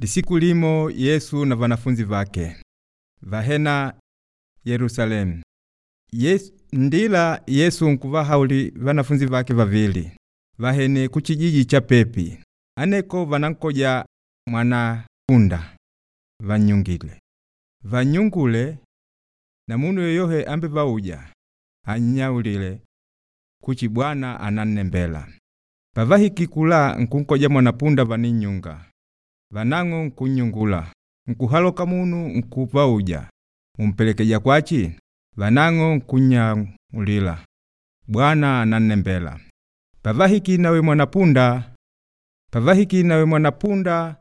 Lisiku limo Yesu na vanafunzi vake vahena Yerusalemu. Yesu, ndila Yesu nkuvahauli vanafunzi vake vavili vahene kuchijiji cha pepi aneko vanankoja mwana punda vanyungile vanyungule na munu yoyohe ambe vauja anyaulile kuchi Bwana anannembela. Pavahiki kula nkunkoja mwanapunda vaninyunga vanang'o nkunyungula nkuhaloka munu nkuvauja mumpelekeja kwachi vanang'o nkunyaulila Bwana anannembela. Pavahiki nawe mwanapunda pavahiki nawe mwanapunda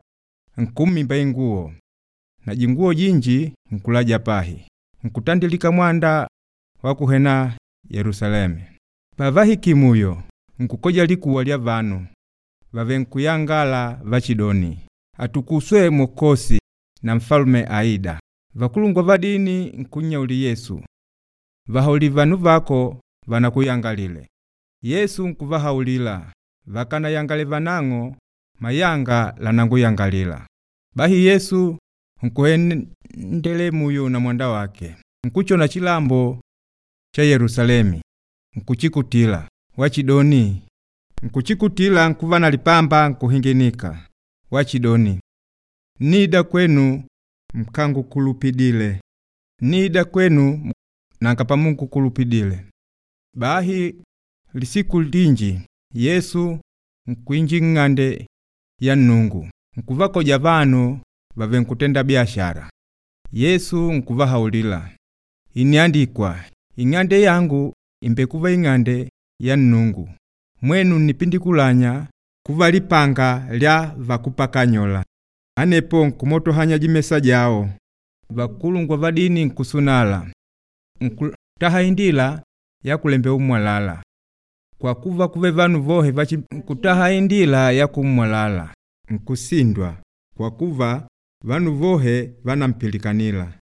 nkummimba inguo na jinguo jinji nkulaja pahi nkutandilika mwanda wa kuhena Yerusalemu. Pavahiki muyo nkukoja likuwa lya vanu vave nkuyangala vachidoni atukuswe Mokosi na mfalume aida. Vakulungwa va dini nkunyauli Yesu vahauli vanu vako vanakuyangalile. Yesu nkuvahaulila vakanayangale vanang'o mayanga lananguyangalila. Bahi Yesu nkuhendele muyo na mwanda wake nkuchona chilambo cha Yerusalemi nkuchikutila wachidoni nkuchikutila nkuva na lipamba nkuhinginika wachidoni nida kwenu mkangukulupidile nida kwenu nanga pamungukulupidile. Bahi lisiku linji Yesu nkuinji ng'ande ya Nungu nkuvakoja vanu vave nkutenda biashara. Yesu nkuvahaulila iniandikwa ing'ande yangu imbekuva ing'ande ya Nungu mwenu nipindikulanya kuva lipanga lya vakupakanyola. Anepo nkumotohanya jimesa jao vakulungwa va dini nkusunala nkutaha indila ya kulembe umwalala kwa kuva kuve vanu vohe vachi nkutaha indila ya kumwalala nkusindwa kwa kuva vanu vohe vanampilikanila.